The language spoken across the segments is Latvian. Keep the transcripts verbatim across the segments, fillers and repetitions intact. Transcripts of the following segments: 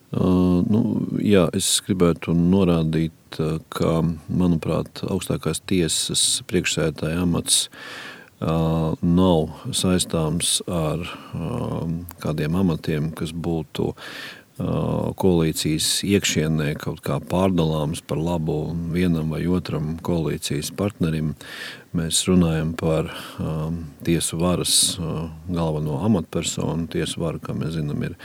Uh, nu, jā, es gribētu norādīt, ka, manuprāt, augstākās tiesas priekšsēdētāja amats uh, nav saistāms ar uh, kādiem amatiem, kas būtu koalīcijas iekšienē kaut kā pārdalāms par labu vienam vai otram koalīcijas partnerim. Mēs runājam par um, tiesu varas uh, galveno amatpersonu. Tiesu vara, kā mēs zinām, ir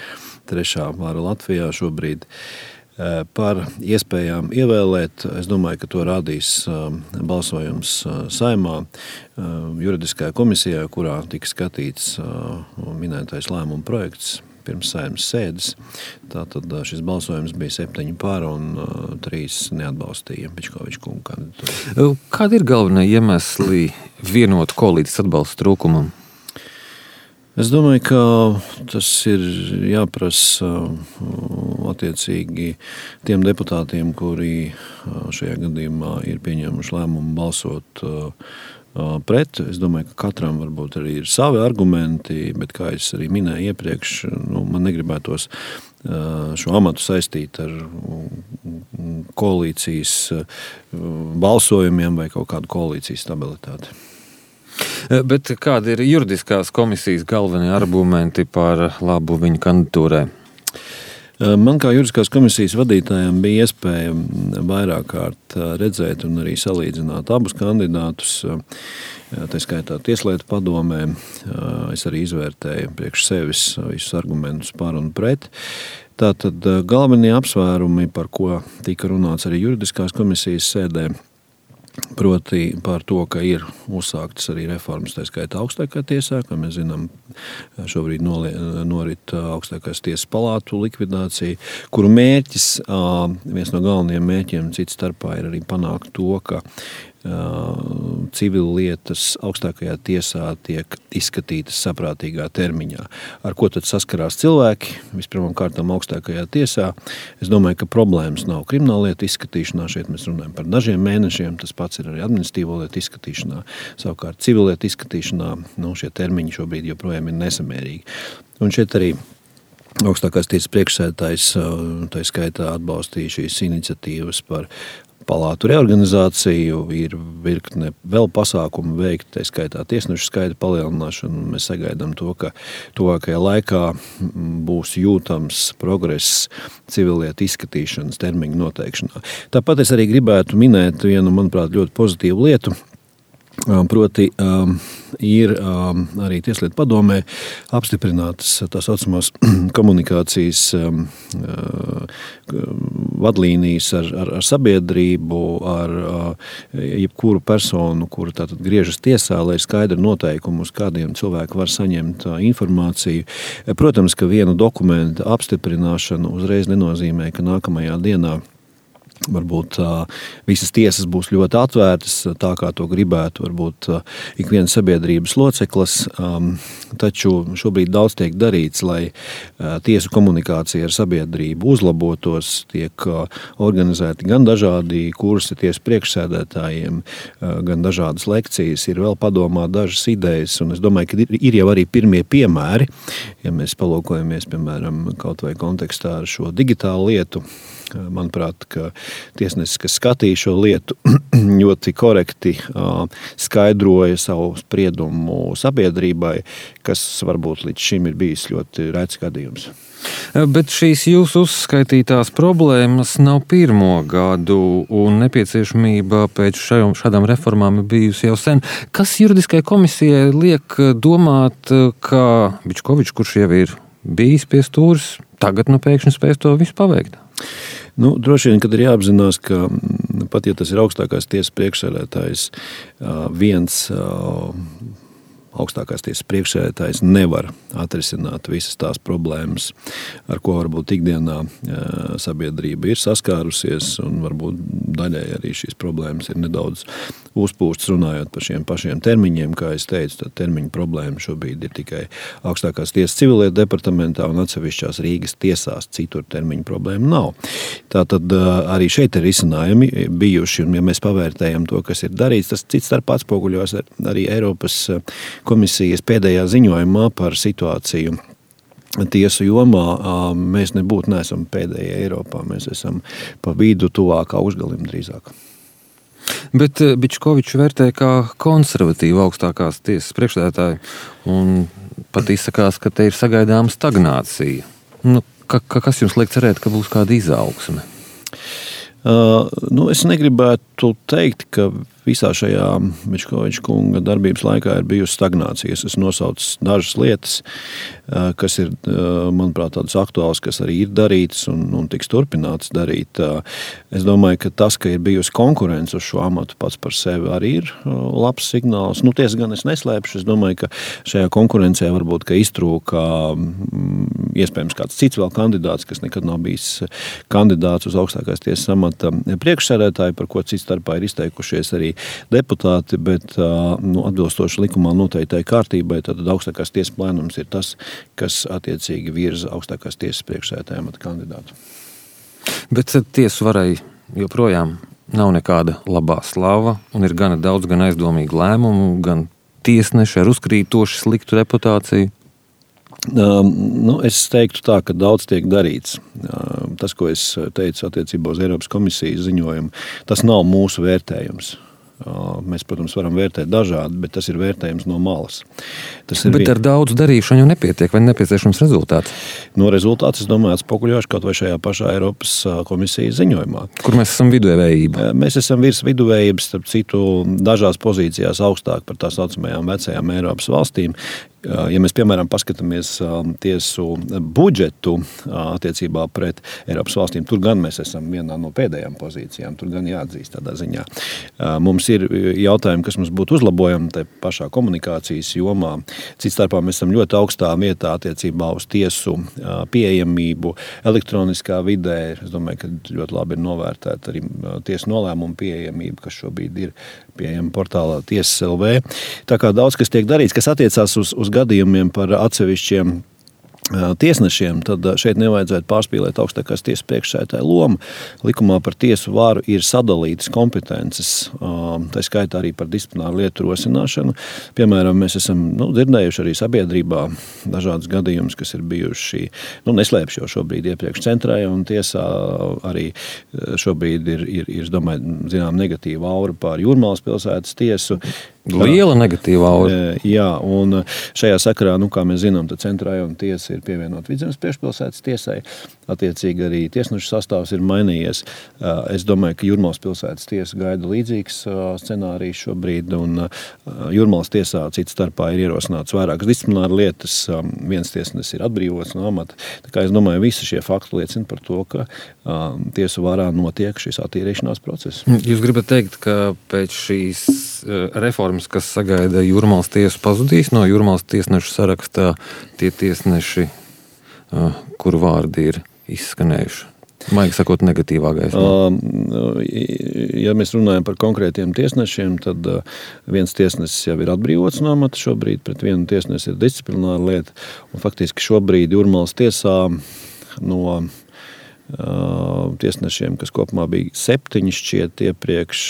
trešā vara Latvijā šobrīd. Uh, par iespējām ievēlēt, es domāju, ka to rādīs uh, balsojums uh, Saeimā, uh, juridiskajā komisijā, kurā tika skatīts uh, minētais lēmuma projekts pirms Saeimas sēdes. Tātad šis balsojums bija septiņi par un uh, trīs neatbalstīja Bičkoviča kunga kandidatūru. Kādi ir galvenie iemesli vienotu koalīcijas atbalsta trūkumam? Es domāju, ka tas ir jāprasa attiecīgi tiem deputātiem, kuri šajā gadījumā ir pieņēmuši lēmumu balsot pret. Es domāju, ka katram varbūt arī ir savi argumenti, bet, kā es arī minēju iepriekš, nu, man negribētos šo amatu saistīt ar koalīcijas balsojumiem vai kaut kādu koalīcijas stabilitāti. Bet kādi ir juridiskās komisijas galvenie argumenti par labu viņa kandidatūrai? Man kā juridiskās komisijas vadītājiem bija iespēja vairāk kārt redzēt un arī salīdzināt abus kandidātus. Tā skaitā Tieslietu padomē. Es arī izvērtēju priekš sevis visus argumentus par un pret. Tātad galvenie apsvērumi, par ko tika runāts arī juridiskās komisijas sēdē, proti par to, ka ir uzsāktas arī reformas, tā skaitā augstākā tiesā, kā mēs zinām, šobrīd norit augstākās tiesas palātu likvidācija, kuru mērķis, viens no galvenajiem mērķiem cits starpā ir arī panākt to, ka civil lietas augstākajā tiesā tiek izskatītas saprātīgā termiņā. Ar ko tad saskarās cilvēki? Vispirmām kārtām augstākajā tiesā. Es domāju, ka problēmas nav krimināllietu izskatīšanā. Šeit mēs runājam par dažiem mēnešiem. Tas pats ir arī administratīvo lietu izskatīšanā. Savukārt civilietu izskatīšanā nu, šie termiņi šobrīd joprojām ir nesamērīgi. Un šeit arī augstākās tiesas priekšsēdētājs tā skaitā atbalstīja šīs iniciatīvas par palātu reorganizāciju, ir virkne vēl pasākumu veikt, tā skaitā tiesnešu skaita palielināšanu. Mēs sagaidām to, ka tuvākajā laikā būs jūtams progress civilietu izskatīšanas termiņu noteikšanā. Tāpat es arī gribētu minēt vienu, manuprāt, ļoti pozitīvu lietu. Proti um, ir um, arī Tieslietu padomē apstiprinātas tā saucamās komunikācijas um, uh, vadlīnijas ar, ar, ar sabiedrību, ar uh, jebkuru personu, kura tātad griežas tiesā, lai ir skaidri noteikumi, uz kādiem cilvēki var saņemt uh, informāciju. Protams, ka vienu dokumentu apstiprināšanu uzreiz nenozīmē, ka nākamajā dienā varbūt uh, visas tiesas būs ļoti atvērtas, tā kā to gribētu varbūt uh, ik viens sabiedrības loceklis, um, taču šobrīd daudz tiek darīts, lai uh, tiesu komunikācija ar sabiedrību uzlabotos, tiek uh, organizēti gan dažādi kursi tiesu priekšsēdētājiem, uh, gan dažādas lekcijas, ir vēl padomā dažas idejas, un es domāju, ka ir, ir jau arī pirmie piemēri, ja mēs palūkojamies, piemēram, kaut vai kontekstā ar šo digitālu lietu. Manuprāt, ka tiesnesis, kas skatīja šo lietu, ļoti korekti skaidroja savu spriedumu sabiedrībai, kas varbūt līdz šim ir bijis ļoti rēts gadījums. Bet šīs jūsu uzskaitītās problēmas nav pirmo gadu, un nepieciešamība pēc šādām reformām ir bijusi jau sen. Kas juridiskai komisijai liek domāt, ka Bičkovičs, kurš jau ir bijis pie stūres, tagad nu pēkšņi spēs to visu paveikt? Nu, droši vien, kad ir jāapzinās, ka pat ja tas ir augstākās tiesas priekšsēdētājs, viens augstākās tiesas priekšsēdētājs nevar atrisināt visas tās problēmas, ar ko varbūt ikdienā sabiedrība ir saskārusies, un varbūt daļai arī šīs problēmas ir nedaudz uzpūstas runājot par šiem pašiem termiņiem. Kā es teicu, tad termiņu problēma šobrīd ir tikai augstākās tiesas civilietu departamentā un atsevišķās Rīgas tiesās, citur termiņu problēma nav. Tātad arī šeit ir risinājumi bijuši, un ja mēs pavērtējam to, kas ir darīts, tas cits starp atspoguļos arī Eiropas komisijas pēdējā ziņojumā par situāciju tiesu jomā mēs nebūtu neesam pēdējie Eiropā. Mēs esam pa vidu tuvāk augšgalim drīzāk. Bet Bičkovičs vērtē kā konservatīvu augstākās tiesas priekšsēdētāju un pat izsakās, ka te ir sagaidāma stagnācija. Nu, ka, ka, kas jums liek cerēt, ka būs kāda izaugsme? Uh, nu, es negribētu teikt, ka visā šajā Bičkoviča kunga darbības laikā ir bijusi stagnācija. Es esmu nosaucis dažas lietas, uh, kas ir, uh, manuprāt, tādas aktuālas, kas arī ir darītas un, un tiks turpināts darīt. Uh, es domāju, ka tas, ka ir bijusi konkurence uz šo amatu pats par sevi arī ir uh, labs signāls. Nu, tiesa gan es neslēpšu. Es domāju, ka šajā konkurencē varbūt, ka iztrūka um, iespējams kāds cits vēl kandidāts, kas nekad nav bijis kandidāts uz augstākās tiesas amata priekšsēdētāju, par ko cits starpā ir izteikušies arī deputāti, bet nu, atbilstoši likumā noteiktai kārtībai, tad augstākās tiesas plēnums ir tas, kas attiecīgi virza augstākās tiesas priekšsēdētāja amata kandidātu. Bet tiesu varai joprojām nav nekāda labā slava un ir gana daudz gan aizdomīgu lēmumu, gan tiesneši ar uzkrītoši sliktu reputāciju. Uh, nu, es teiktu tā, ka daudz tiek darīts. Uh, tas, ko es teicu attiecībā uz Eiropas komisijas ziņojumu, tas nav mūsu vērtējums. Uh, mēs, protams, varam vērtēt dažādi, bet tas ir vērtējums no malas. Tas bet vien... ar daudz darīšanu jau nepietiek, vai nepieciešams rezultāts? No rezultāts, es domāju, atspoguļošu kaut vai šajā pašā Eiropas komisijas ziņojumā. Kur mēs esam viduvējība? Mēs esam virs viduvējības, starp citu, dažās pozīcijās augstāk par tā saucamajām vecajām Eiropas valstīm. Ja mēs, piemēram, paskatāmies tiesu budžetu attiecībā pret Eiropas valstīm, tur gan mēs esam vienā no pēdējām pozīcijām, tur gan jāatzīst tādā ziņā. Mums ir jautājumi, kas mums būtu uzlabojami te pašā komunikācijas jomā. Cits starpā mēs esam ļoti augstā vietā attiecībā uz tiesu pieejamību elektroniskā vidē. Es domāju, ka ļoti labi ir novērtēta arī tiesu nolēmumu pieejamība, kas šobrīd ir pieejama portālā Tiesas L V. Tā kā daudz, kas tiek darīts, kas attiecās uz, uz gadījumiem par atsevišķiem tiesnešiem, tad šeit nevajadzētu pārspīlēt augstākās tiesas priekšsēdētāja lomu. Likumā par tiesu varu ir sadalītas kompetences, tā skaitā arī par disciplināru lietu rosināšanu. Piemēram, mēs esam nu, dzirdējuši arī sabiedrībā dažādas gadījumus, kas ir bijuši, nu, neslēpšu jau šobrīd iepriekš centrālajā un tiesā arī šobrīd ir, ir, ir es domāju, zinām, negatīva aura pār Jūrmalas pilsētas tiesu. Liela negatīva aura. Jā, un šajā sakarā, nu, kā mēs zinām, tad centrālajā un tiesa ir pievienot Vidzemes priekšpilsētas tiesai. Attiecīgi arī tiesnešu sastāvs ir mainījies. Es domāju, ka Jūrmalas pilsētas tiesa gaida līdzīgs scenārijs šobrīd, un Jūrmalas tiesā cits starpā ir ierosināts vairākas disciplināra lietas. Viens tiesnesis ir atbrīvots no amata. Tā kā es domāju, visi šie fakti liecina par to, ka tiesu varā notiek šis attīrīšanās process. Jūs gribat teikt, ka pēc šīs reformas, kas sagaida Jūrmalas tiesu, pazudīs no Jūrmalas tiesnešu sarakstā tie tiesneši, kuru vārdi ir izskanējuši? Maigi sakot, negatīvā gaismā. Ja mēs runājam par konkrētiem tiesnešiem, tad viens tiesnesis jau ir atbrīvots no amata šobrīd, pret vienu tiesnesi ir disciplināra lieta, un faktiski šobrīd Jūrmalas tiesā no tiesnešiem, kas kopumā bija septiņi šķiet iepriekš,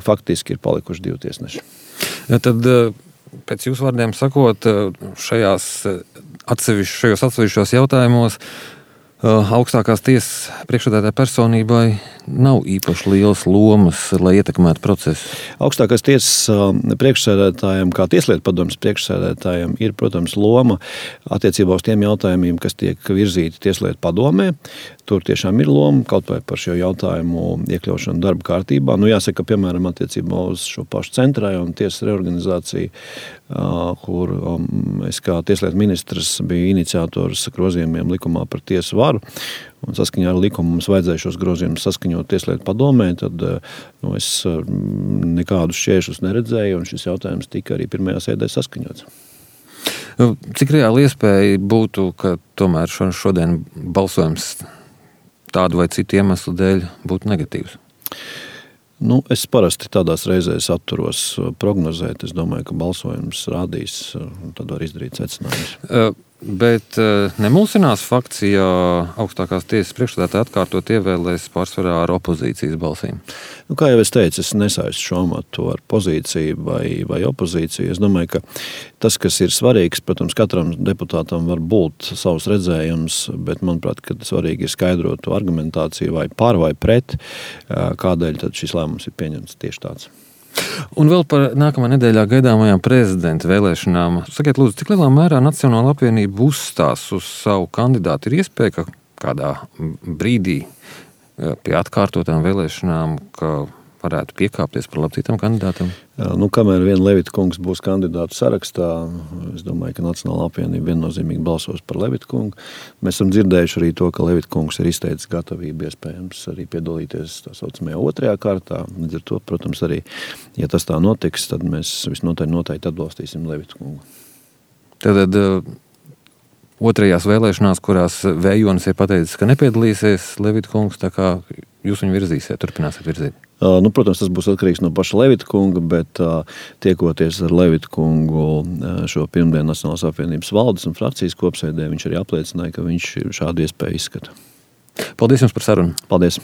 faktiski ir palikuši divi tiesneši. Ja, tad, pēc jūsu vārdiem sakot, šajās atsevišķos, šajos atsevišķos jautājumos augstākās tiesas priekšsēdētāja personībai nav īpaši lielas lomas, lai ietekmētu procesu. Augstākās tiesas priekšsēdētājiem, kā tieslietu padomes priekšsēdētājiem, ir, protams, loma attiecībā uz tiem jautājumiem, kas tiek virzīti tieslietu padomē. Tur tiešām ir loma kaut vai par šo jautājumu iekļaušanu darba kārtībā. Nu, jāsaka, piemēram, attiecībā uz šo pašu centrālajā un tiesas reorganizāciju, kur es kā tieslietu ministrs biju iniciators grozījumiem likumā par tiesu varu. Un saskaņā ar likumu mums vajadzēja šos grozījumus saskaņot tieslietu padomē, tad nu, es nekādus šķēršļus neredzēju, un šis jautājums tika arī pirmajā sēdē saskaņots. Cik reāli iespēja būtu, ka tomēr šodien balsojums tādu vai citu iemeslu dēļ būtu negatīvs? Nu, es parasti tādās reizēs atturos prognozēt. Es domāju, ka balsojums rādīs, un tad var izdarīt secinājumus. Bet nemulsinās fakts, ja augstākās tiesas priekšsēdētāji atkārtot ievēlēs pārsvarā ar opozīcijas balsīm? Nu, kā jau es teicu, es nesaistu šo amatu ar pozīciju vai, vai opozīciju. Es domāju, ka tas, kas ir svarīgs, protams, katram deputātam var būt savs redzējums, bet, manuprāt, ka svarīgi ir skaidrot to argumentāciju vai par vai pret, kādēļ tad šis lēmums ir pieņemts tieši tāds. Un vēl par nākamā nedēļā gaidāmajām prezidenta vēlēšanām. Sakiet, lūdzu, cik lielā mērā Nacionāla apvienība uzstās uz savu kandidātu? Ir iespēja, ka kādā brīdī pie atkārtotām vēlēšanām, ka varētu piekāpties par labcītam kandidātam? Jā, nu, kamēr vien Levita kungs būs kandidātu sarakstā, es domāju, ka Nacionāla apvienība viennozīmīgi balsos par Levita kungu. Mēs esam dzirdējuši arī to, ka Levita kungs ir izteicis gatavību iespējams arī piedalīties tā saucamajā otrajā kārtā. Līdz ar to, protams, arī, ja tas tā notiks, tad mēs visnotaļ noteikti atbalstīsim Levita kungu. Tad otrajās vēlēšanās, kurās Vējonis ir pateicis, ka nepiedalīsies Levita kungs, tā kā jūs viņu virzīsiet, turpināsiet virzīt? Uh, nu, protams, tas būs atkarīgs no paša Levita kunga, bet uh, tiekoties ar Levita kungu uh, šo pirmdienu Nacionālās apvienības valdes un frakcijas kopsēdē, viņš arī apliecināja, ka viņš šādu iespēju izskata. Paldies jums par sarunu. Paldies.